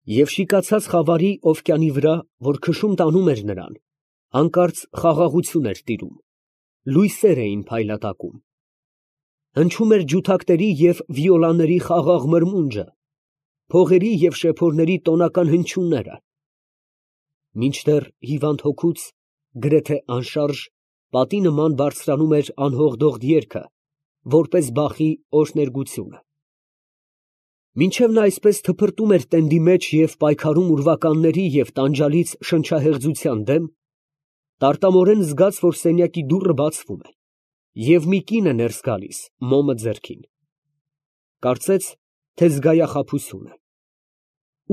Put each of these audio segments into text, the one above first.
Եվ շիկացած խավարի օվկիանի վրա, որ քշում տանում էր նրան, հանկարծ խաղաղություն էր տիրում, լույսեր էին փայլատակում. հնչում էր ջութակների և վիոլաների խաղաղ մրմունջը, փողերի և շեփորների տոնական հնչյունները, մինչդեռ հիվանդ հոգուց, գրեթե անշարժ, պատի նման բարձրանում էր անհողդողդ երգը, որպես բախի օրհներգությունը։ Մինչև նա այսպես թփրտում էր տենդի մեջ և պայքարում ուրվականների և տանջալից շնչահեղձության դեմ, տարտամորեն զգաց, որ սենյակի դուռը բացվում է, և մի կին է ներս գալիս, մոմը ձեռքին. կարծեց, թե զգայախաբություն է։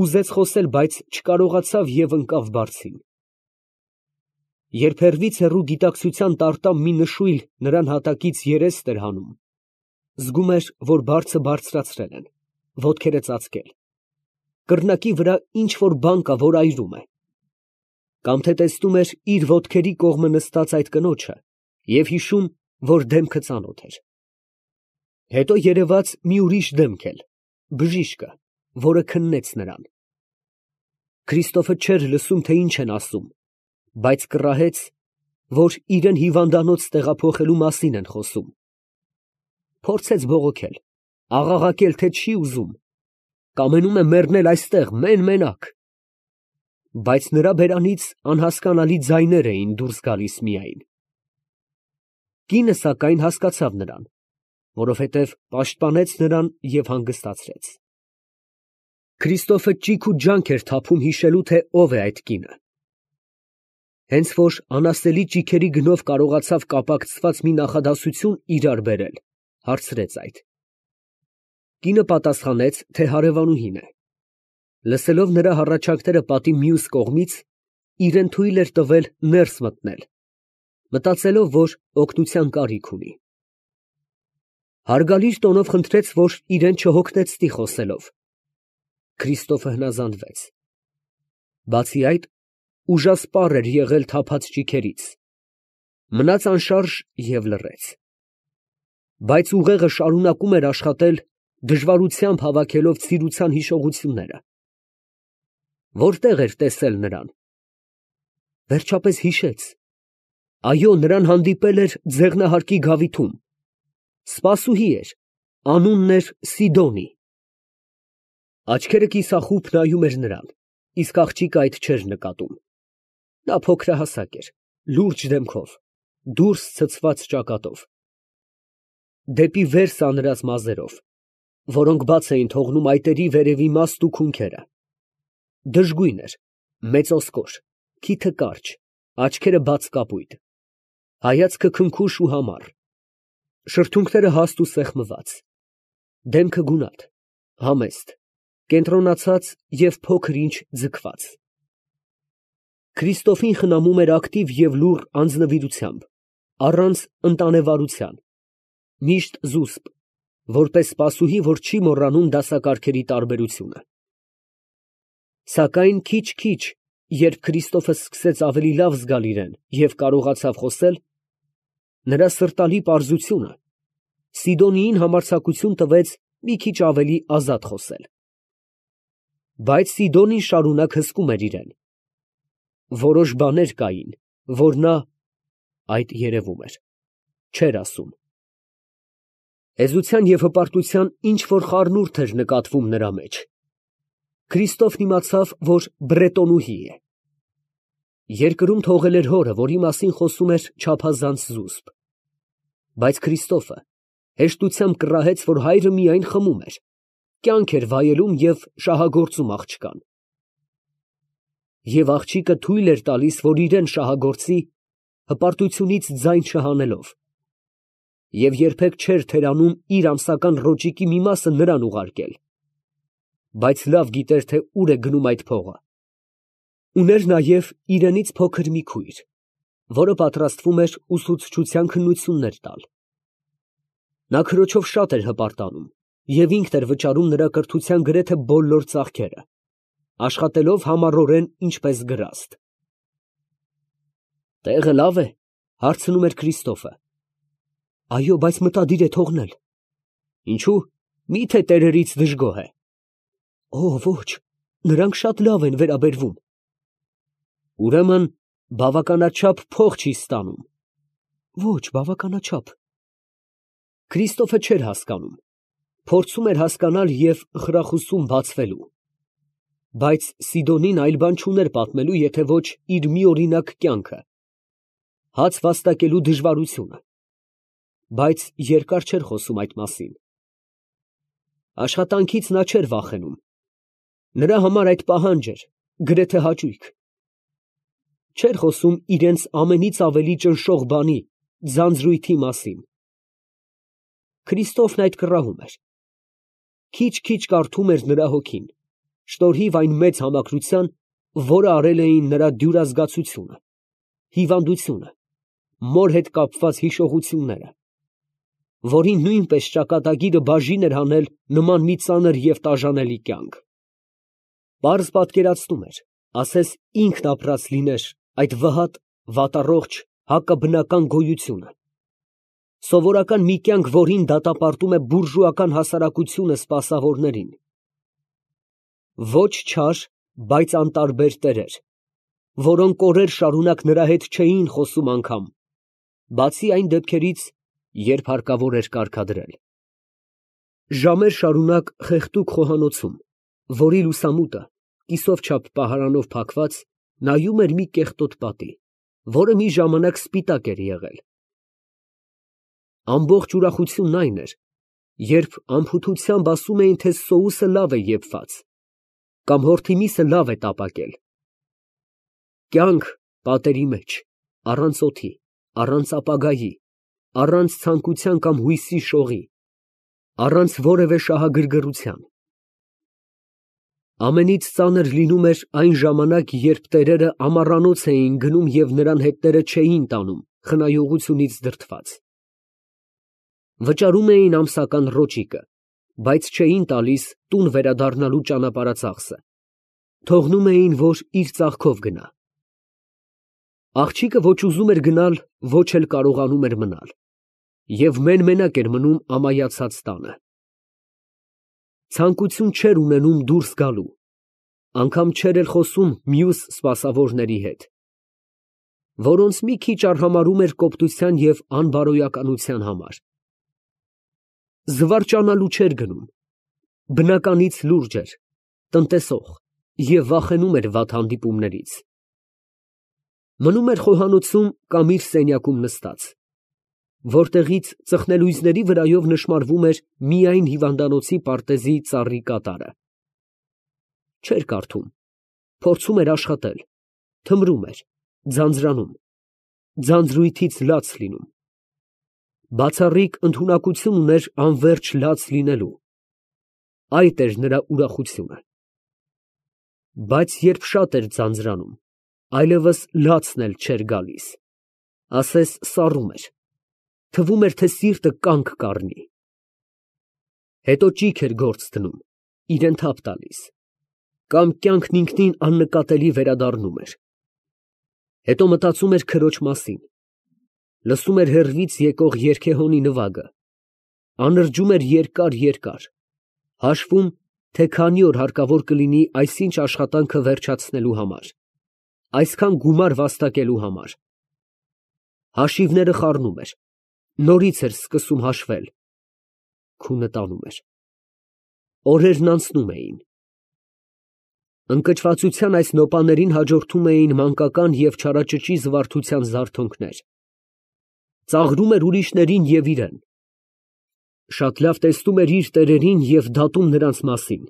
Ուզեց խոսել, բայց չկարողացավ և ընկավ բարձին։ Երբ հեռվից հեռու գիտակցության տարտամ մի նշույլ նրան հատակից երեստ էր հանում, զգում էր, որ բարձը բարձրացրել են, ոտքերը ծածկել, կռնակի վրա ինչ֊որ բան կա, որ այրում է, կամ թե տեսնում էր իր ոտքերի կողմը նստած այդ կնոջը և հիշում, որ դեմքը ծանոթ էր։ Հետո երևաց մի ուրիշ դեմք էլ, բժիշկը, որը քննեց նրան։ Քրիստոֆը չէր լսում, թե ինչ են ասում, բայց կռահեց, որ իրան հիվանդանոց տեղափոխելու մասին են խոսում։ Փորձեց բողոքել, աղաղակել, թե չի ուզում, կամենում է մեռնել այստեղ մեն֊մենակ, բայց նրա բերանից անհասկանալի ձայներ էին դուրս գալիս միայն։ Կինը, սակայն, հասկացավ նրան, որովհետև պաշտպանեց նրան և հանգստացրեց։ Քրիստոֆը ճիգ ու ջանք էր թափում հիշելու, թե ով է այդ կինը։ Հենց որ անասելի ճիգերի գնով կարողացավ կապակցված մի նախադասություն իրար բերել, հարցրեց այդ։ Կինը պատասխանեց, թե հարևանուհին է։ Լսելով նրա հառաչանքները պատի մյուս կողմից, իրան թույլ էր տվել ներս մտնել, մտածելով, որ օգնության կարիք ունի։ Հարգալից տոնով խնդրեց, որ իրան չհոգնեցնի խոսելով։ Քրիստոֆը հնազանդվեց։ Բացի այդ, ուժասպառ էր եղել թափած ճիգերից, մնաց անշարժ և լռեց։ Բայց ուղեղը շարունակում էր աշխատել, դժվարությամբ հավաքելով ցիրության հիշողությունները։ Որտե՞ղ էր տեսել նրան։ Վերջապես հիշեց. այո, նրան հանդիպել էր ձեղնահարկի գավիթում, սպասուհի էր, անունն էր Սիդոնի։ Աչքերը կիսախուբ նայում էր նրան, իսկ աղջիկը այդ չէր նկատում։ Նա փոքրահասակ էր, լուրջ դեմքով, դուրս ցցված ճակատով, դեպի վեր սանրած մազերով, որոնք բաց էին թողնում այտերի վերևի մաստ ու քունքերը։ Դժգույն էր, մեծ ոսկոր, քիթը կարճ, աչքերը բաց կապույտ, հայացքը քնքուշ ու համառ, շրթունքները հաստ ու սեղմված, դեմքը գունատ, համեստ, կենտրոնացած և փոքր֊ինչ ձգված։ Քրիստոֆին խնամում էր ակտիվ և լուռ անձնվիրությամբ, առանց ընտանեվարության, միշտ զուսպ, որպես սպասուհի, որ չի մոռանում դասակարգերի տարբերությունը։ Սակայն քիչ֊քիչ, երբ Քրիստոֆը սկսեց ավելի լավ զգալ իրան և կարողացավ խոսել, նրա սրտալի պարզությունը Սիդոնիին համարձակություն տվեց մի քիչ ավելի ազատ խոսել։ Բայց Սիդոնին շարունակ հսկում էր իրան։ Որոշ բաներ կային, որ նա (այդ երևում էր) չէր ասում։ Հեզության և հպարտության ինչ֊որ խառնուրդ էր նկատվում նրա մեջ։ Քրիստոֆն իմացավ, որ բրետոնուհի է։ Երկրում թողել էր հորը, որի մասին խոսում էր չափազանց զուսպ։ Բայց Քրիստոֆը հեշտությամբ կռահեց, որ հայրը միայն խմում էր, կյանք էր վայելում և շահագործում աղջկան։ Եվ աղջիկը թույլ էր տալիս, որ իրան շահագործի, հպարտությունից ձայն չհանելով, և երբեք չէր թերանում իր ամսական ռոճիկի մի մասը նրան ուղարկել, բայց լավ գիտեր, թե ուր է գնում այդ փողը։ Ուներ նաև իրենից փոքր մի քույր, որը պատրաստվում էր ուսուցչության քննություններ տալ։ Նա քրոջով շատ էր հպարտանում և ինքն էր վճարում նրա կրթության գրեթե բոլոր ծախքերը, աշխատելով համառորեն ինչպես գրաստ։ «Տեղը լավ է, ֊ հարցնում էր Քրիստոֆը։ ֊ Այո, բայց մտադիր է թողնել։ ֊ Ինչո՞ւ, մի՞թե տերերից դժգոհ է։ ֊ Օ, ոչ, նրանք շատ լավ են վերաբերվում։ Ուրեմն բավականաչափ փող չի ստանում։ Ոչ, բավականաչափ։ Քրիստոֆը չէր հասկանում, փորձում էր հասկանալ և խրախուսում բացվելու։ Բայց Սիդոնին այլ բան չուներ պատմելու, եթե ոչ իր միօրինակ կյանքը, հաց վաստակելու դժվարությունը, բայց երկար չէր խոսում այդ մասին։ Աշխատանքից նա չէր վախենում, նրա համար այդ պահանջ էր, գրեթե հաճույք։ Չէր խոսում իրենց ամենից ավելի ճնշող բանի, ձանձրույթի մասին։ Քրիստոֆն այդ կռահում էր։ Քիչ-քիչ կարդում էր նրա հոգին, շնորհիվ այն մեծ համակրության, որը արել էին նրա դյուրազգացությունը, հիվանդությունը, մոր հետ կապված հիշողությունները, որին նույնպես ճակատագիրը բաժին էր հանել նման մի ծանր և տաժանելի կյանք։ Պարզ պատկերացնում էր, ասես ինքն ապրած լիներ այդ վհատ, վատառողջ, հակաբնական գոյությունը, սովորական մի կյանք, որին դատապարտում է բուրժուական հասարակությունը սպասավորներին։ Ոչ չար, բայց անտարբեր տերեր, որոնք օրեր շարունակ նրա հետ չէին խոսում անգամ, բացի այն դեպքերից, երբ հարկավոր էր կարգադրել։ Ժամեր շարունակ խեղդուկ խոհանոցում, որի լուսամուտը, կիսով չափ պահարանով փակված, նայում էր մի կեղտոտ պատի, որը մի ժամանակ սպիտակ էր եղել։ Ամբողջ ուրախությունն այն էր, երբ անփութությամբ ասում էին, թե սոուսը լավ է եփված, կամ հորթի միսը լավ է տապակել։ Կյանք պատերի մեջ, առանց օդի, առանց ապագայի, առանց ցանկության կամ հույսի շողի, առանց որևէ շահագրգռության։ Ամենից ծանր լինում էր այն ժամանակ, երբ տերերը ամառանոց էին գնում և նրան հետները չէին տանում, խնայողությունից դրդված։ Վճարում էին ամսական ռոճիկը, բայց չէին տալիս տուն վերադառնալու ճանապարհածախսը, թողնում էին, որ իր ծախքով գնա։ Աղջիկը ոչ ուզում էր գնալ, ոչ էլ կարողանում էր մնալ, և մեն֊մենակ էր մնում ամայացած տանը։ Ցանկություն չէր ունենում դուրս գալու, անգամ չէր էլ խոսում մյուս սպասավորների հետ, որոնց մի քիչ արհամարհում էր կոպտության և անբարոյականության համար։ Զվարճանալու չէր գնում, բնականից լուրջ էր, տնտեսող և վախենում էր վատ հանդիպումներից։ Մնում էր խոհանոցում կամ իր սենյակում նստած, որտեղից ծխնելույզների վրայով նշմարվում էր միայն հիվանդանոցի պարտեզի ծառի կատարը։ Չէր կարդում, փորձում էր աշխատել, թմրում էր, ձանձրանում, ձանձրույթից լաց լինում։ Բացառիկ ընդունակություն ուներ անվերջ լաց լինելու, այդ էր նրա ուրախությունը։ Բայց երբ շատ էր ձանձրանում, այլևս լացն էլ չէր գալիս, ասես սառում էր, թվում էր, թե սիրտը կանգ կառնի։ Հետո ճիգ էր գործ դնում, իրեն թափ տալիս, կամ կյանքն ինքնին աննկատելի վերադառնում էր։ Հետո մտածում էր քրոջ մասին, լսում էր հեռվից եկող երգեհոնի նվագը, անրջում էր երկար, հաշվում, թե քանի օր հարկավոր կլինի այսինչ աշխատանքը վերջացնելու համար, այսքան գումար վաստակելու համար։ Հաշիվները խառնում էր, նորից էր սկսում հաշվել, քունը տանում էր։ Օրերն անցնում էին։ Ընկճվածության այս նոպաներին հաջորդում էին մանկական և չարաճճի զվարթության զարթոնքներ։ Ծաղրում էր ուրիշներին և իրեն։ Շատ լավ տեսնում էր իր տերերին և դատում նրանց մասին,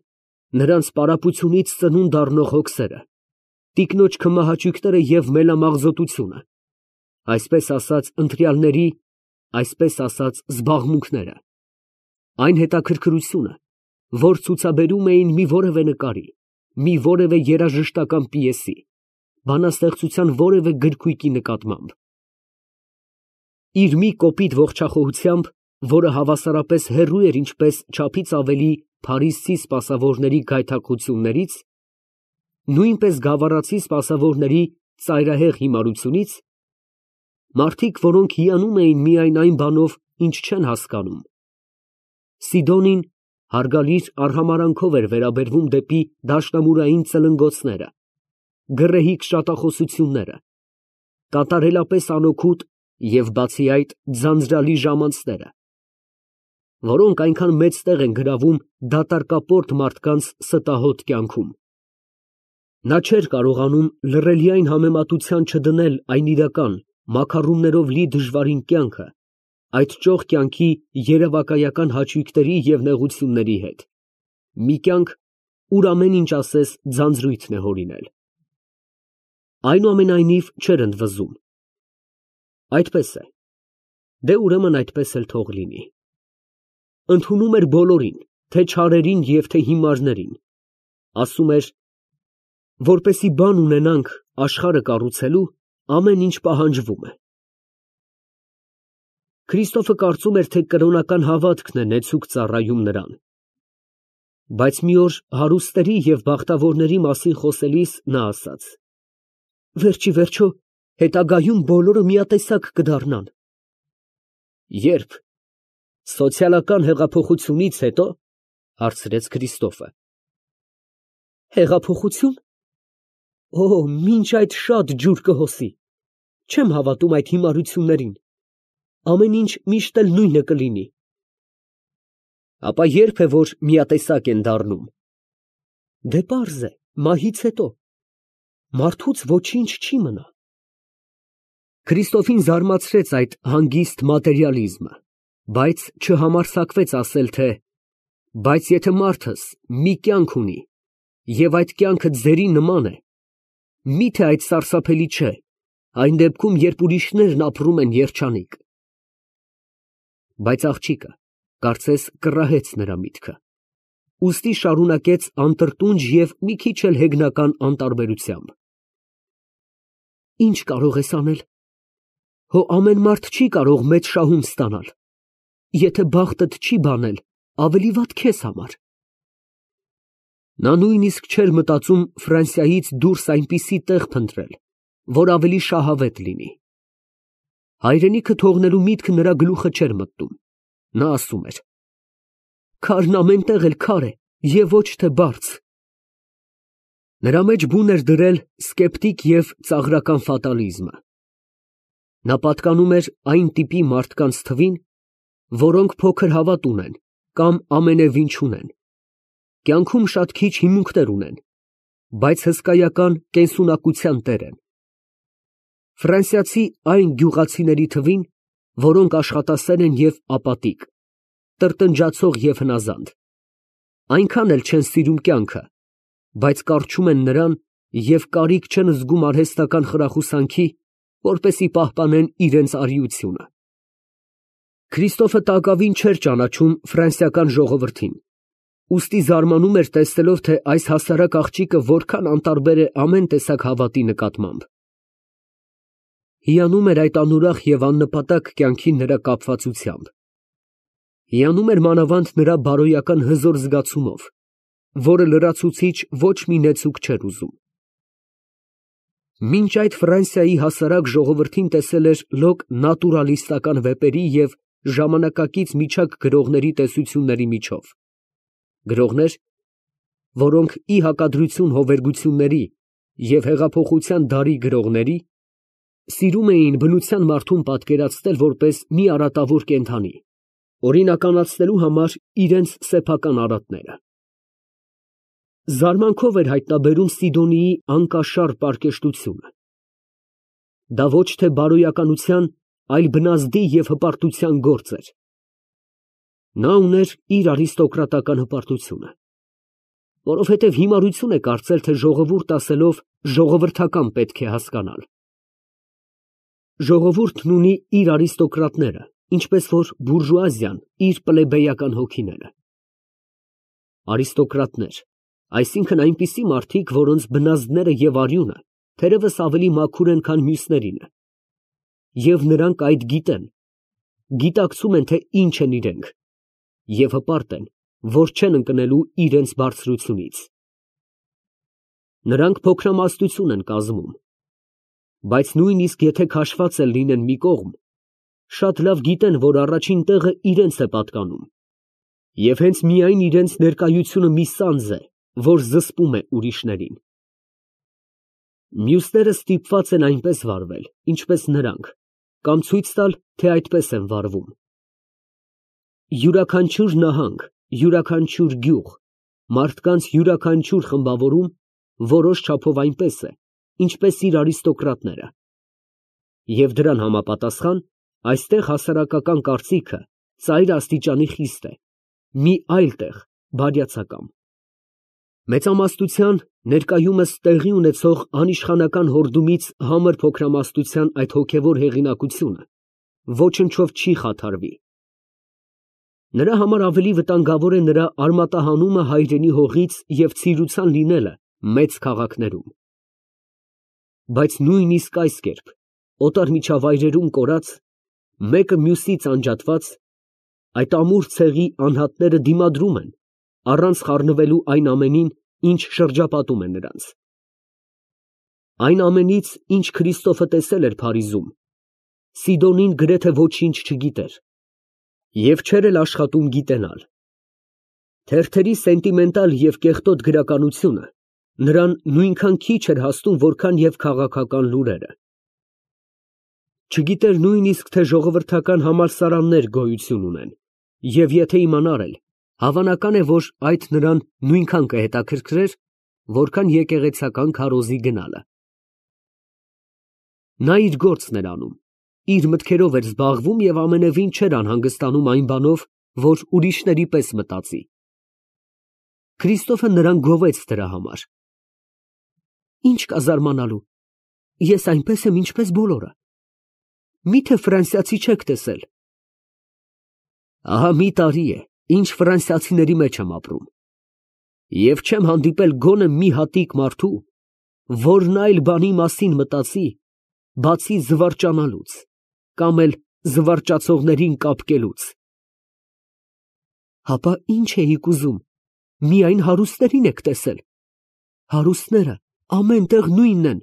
նրանց պարապությունից ծնունդ առնող հոգսերը, տիկնոջ քմահաճույքները և մելամաղձոտությունը, այսպես ասած ընտրյալների, այսպես ասած զբաղմունքները, այն հետաքրքրությունը, որ ցուցաբերում էին մի որևէ նկարի, մի որևէ երաժշտական պիեսի, բանաստեղծության որևէ գրքույկի նկատմամբ։ Իր մի կոպիտ ողջախոհությամբ, որը հավասարապես հեռու էր ինչպես չափից ավելի փարիզցի սպասավորների գայթակղություններից, նույնպես գավառացի սպասավորների ծայրահեղ հիմարությունից, մարդիկ, որոնք հիանում էին միայն այն բանով, ինչ չեն հասկանում, Սիդոնին հարգալից արհամարանքով էր վերաբերվում դեպի դաշնամուրային ծլնգոցները, գռեհիկ շատախոսությունները, կատարելապես անօգուտ և բացի այդ ձանձրալի ժամանցները, որոնք այնքան մեծ տեղ են գրավում դատարկապորտ մարդկանց ստահոդ կյանքում։ Նա չէր կարողանում լռելիայն համեմատության չդնել այն իրական, մաքառումներով լի դժվարին կյանքը, այդ ճոխ կյանքի երևակայական հաճույքների և նեղությունների հետ, մի կյանք, ուր ամեն ինչ ասես ձանձրույթն է հորինել։ Այնուամենայնիվ չէր ընդվզում։ Այդպես է, դե ուրեմն այդպես էլ թող լինի։ Ընդունում էր բոլորին, թե չարերին և թե հիմարներին, ասում էր, որպեսզի բան ունենանք աշխարհը կառուցելու, ամեն ինչ պահանջվում է։ Քրիստոֆը կարծում էր, թե կրոնական հավատքն է նեցուկ ծառայում նրան։ Բայց մի օր հարուստների և բախտավորների մասին խոսելիս նա ասաց. «Վերջ ի վերջո, հետագայում բոլորը միատեսակ կդառնան»։ Ե՞րբ։ Սոցիալական հեղափոխությունից հետո, հարցրեց Քրիստոֆը։ Հեղափոխություն։ Օ, մինչ այդ շատ ջուր կհոսի։ Չեմ հավատում այդ հիմարություններին։ Ամեն ինչ միշտ էլ նույնը կլինի։ Ապա ե՞րբ է, որ միատեսակ են դառնում։ Դե պարզ է, մահից հետո։ Մարդուց ոչինչ չի մնա։ Քրիստոֆին զարմացրեց այդ հանգիստ մատերիալիզմը, բայց չհամարձակվեց ասել, թե բայց եթե մարդս մի կյանք ունի, և այդ կյանքը ձերի նման է, մի՞թե այդ սարսափելի չէ, այն դեպքում, երբ ուրիշներն ապրում են երջանիկ։ Բայց աղջիկը, կարծես կռահեց նրա միտքը, ուստի շարունակեց անտրտունջ և մի քիչ էլ հեգնական անտարբերությամբ. Ինչ կարող ես անել։ Հո ամեն մարդ չի կարող մեծ շահում ստանալ։ Եթե բախտդ չի բանել, ավելի վատ քեզ համար։ Նա նույնիսկ չէր մտածում Ֆրանսիայից դուրս այնպիսի տեղ փնտրել, որ ավելի շահավետ լինի։ Հայրենիքը թողնելու միտքը նրա գլուխը չէր մտնում։ Նա ասում էր. Քարն ամեն տեղ էլ քար է և ոչ թե բարձ։ Նրա մեջ բուն էր դրել սկեպտիկ և ծաղրական ֆատալիզմը։ Նա պատկանում էր այն տիպի մարդկանց թվին, որոնք փոքր հավատ ունեն կամ ամենևին չունեն, կյանքում շատ քիչ հիմունքներ ունեն, բայց հսկայական կենսունակության տեր են։ Ֆրանսիացի այն գյուղացիների թվին, որոնք աշխատասեր են և ապատիկ, տրտնջացող և հնազանդ, այնքան էլ չեն սիրում կյանքը, բայց կառչում են նրան և կարիք չեն զգում արհեստական խրախուսանքի, որպեսզի պահպանեն իրենց արիությունը։ Քրիստոֆը տակավին չէր ճանաչում ֆրանսիական ժողովրդին, ուստի զարմանում էր տեսնելով, թե այս հասարակ աղջիկը որքան անտարբեր է ամեն տեսակ հավատի նկատմամբ։ Հիանում էր այդ անուրախ և աննպատակ կյանքի նրա կապվածությամբ։ Հիանում էր մանավանդ նրա բարոյական հզոր զգացումով, որը լրացուցիչ ոչ մի նեցուկ չէր ուզում։ Մինչ այդ Ֆրանսիայի հասարակ ժողովրդին տեսել էր լոկ նատուրալիստական վեպերի և ժամանակակից միջակ գրողների տեսությունների միջով, գրողներ, որոնք ի հակադրություն հովերգությունների և հեղափոխության դարի գրողների, սիրում էին բնության մարդուն պատկերացնել որպես մի արատավոր կենդանի, օրինականացնելու համար իրենց սեփական արատները։ Զարմանքով էր հայտնաբերում Սիդոնիի անկաշառ պարկեշտությունը։ Դա ոչ թե բարոյականության, այլ բնազդի և հպարտության գործ էր։ Նա ուներ իր արիստոկրատական հպարտությունը, որովհետև հիմարություն է կարծել, թե ժողովուրդ ասելով ժողովրդական պետք է հասկանալ։ Ժողովուրդն ունի իր արիստոկրատները, ինչպես որ բուրժուազիան իր պլեբեյական հոգիները։ Արիստոկրատներ, այսինքն այնպիսի մարդիկ, որոնց բնազդները և արյունը թերևս ավելի մաքուր են, քան մյուսներինը, և նրանք այդ գիտեն, գիտակցում են, թե ինչ են իրենք, և հպարտ են, որ չեն ընկնելու իրենց բարձրությունից։ Նրանք փոքրամասնություն են կազմում, բայց նույնիսկ եթե քաշված էլ լինեն մի կողմ, շատ լավ գիտեն, որ առաջին տեղը իրենց է պատկանում, Եվ հենց միայն իրենց ներկայությունը մի սանձ է, որ զսպում է ուրիշներին։ Մյուսները ստիպված են այնպես վարվել, ինչպես նրանք, կամ ցույց տալ, թե այդպես են վարվում։ Յուրաքանչյուր նահանգ, յուրաքանչյուր գյուղ, մարդկանց յուրաքանչյուր խմբավորում որոշ չափով այնպես է, ինչպես իր արիստոկրատները։ Եվ դրան համապատասխան, այստեղ հասարակական կարծիքը ծայր աստիճանի խիստ է, մի այլ տեղ բարյացակամ։ Մեծամասնության, ներկայումս տեղի ունեցող անիշխանական հորդումից համր փոքրամասնության այդ հոգևոր հեղինակությունը ոչնչով չի խաթարվի։ Նրա համար ավելի վտանգավոր է նրա արմատահանումը հայրենի հողից և ցիրուցան լինելը մեծ քաղաքներում։ Բայց նույնիսկ այս կերպ, օտար միջավայրերում կորած, մեկը մյուսից անջատված, այդ ամուր ցեղի անհատները դիմադրում են, առանց խառնվելու այն ամենին, ինչ շրջապատում է նրանց։ Այն ամենից, ինչ Քրիստոֆը տեսել էր Փարիզում, Սիդոնին գրեթե ոչինչ չգիտեր և չէր էլ աշխատում գիտենալ։ Թերթերի սենտիմենտալ և կեղտոտ գրականությունը նրան նույնքան քիչ էր հասնում, որքան և քաղաքական լուրերը։ Չգիտեր նույնիսկ, թե ժողովրդական համալսարաններ գոյություն ունեն, և եթե իմանար էլ, հավանական է, որ այդ նրան նույնքան կհետաքրքրեր, որքան եկեղեցական քարոզի գնալը։ Նա իր գործն էր անում, իր մտքերով էր զբաղվում և ամենևին չէր անհանգստանում այն բանով, որ ուրիշների պես մտածի։ Քրիստոֆը նրան գովեց դրա համար։ Ինչ կա զարմանալու, ես այնպես եմ, ինչպես բոլորը։ Միթե ֆրանսիացի չեք տեսել։ Ահա մի տարի է, ինչ ֆրանսիացիների մեջ եմ ապրում, և չեմ հանդիպել գոնե մի հատիկ մարդու, որն այլ բանի մասին մտածի, բացի զվարճանալուց, կամ էլ զվարճացողներին կապկելուց։ Հապա ի՞նչ էիք ուզում, միայն հարուստներին եք տեսել։ Հարուստները ամեն տեղ նույնն են,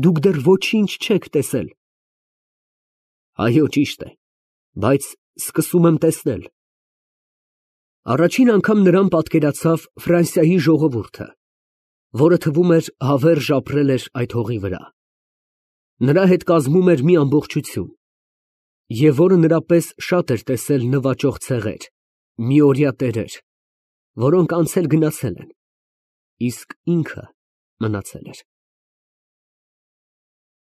դուք դեռ ոչինչ չեք տեսել։ Այո, ճիշտ է, բայց սկսում եմ տեսնել։ Առաջին անգամ նրան պատկերացավ Ֆրանսիայի ժողովուրդը, որը թվում էր հավերժ ապրել էր այդ հողի վրա։ Նրա հետ կազմում էր մի ամբողջություն, և որը նրա պես շատ էր տեսել նվաճող ցեղեր, միօրյա տերեր, որոնք անցել գնացել են, իսկ ինքը մնացել էր։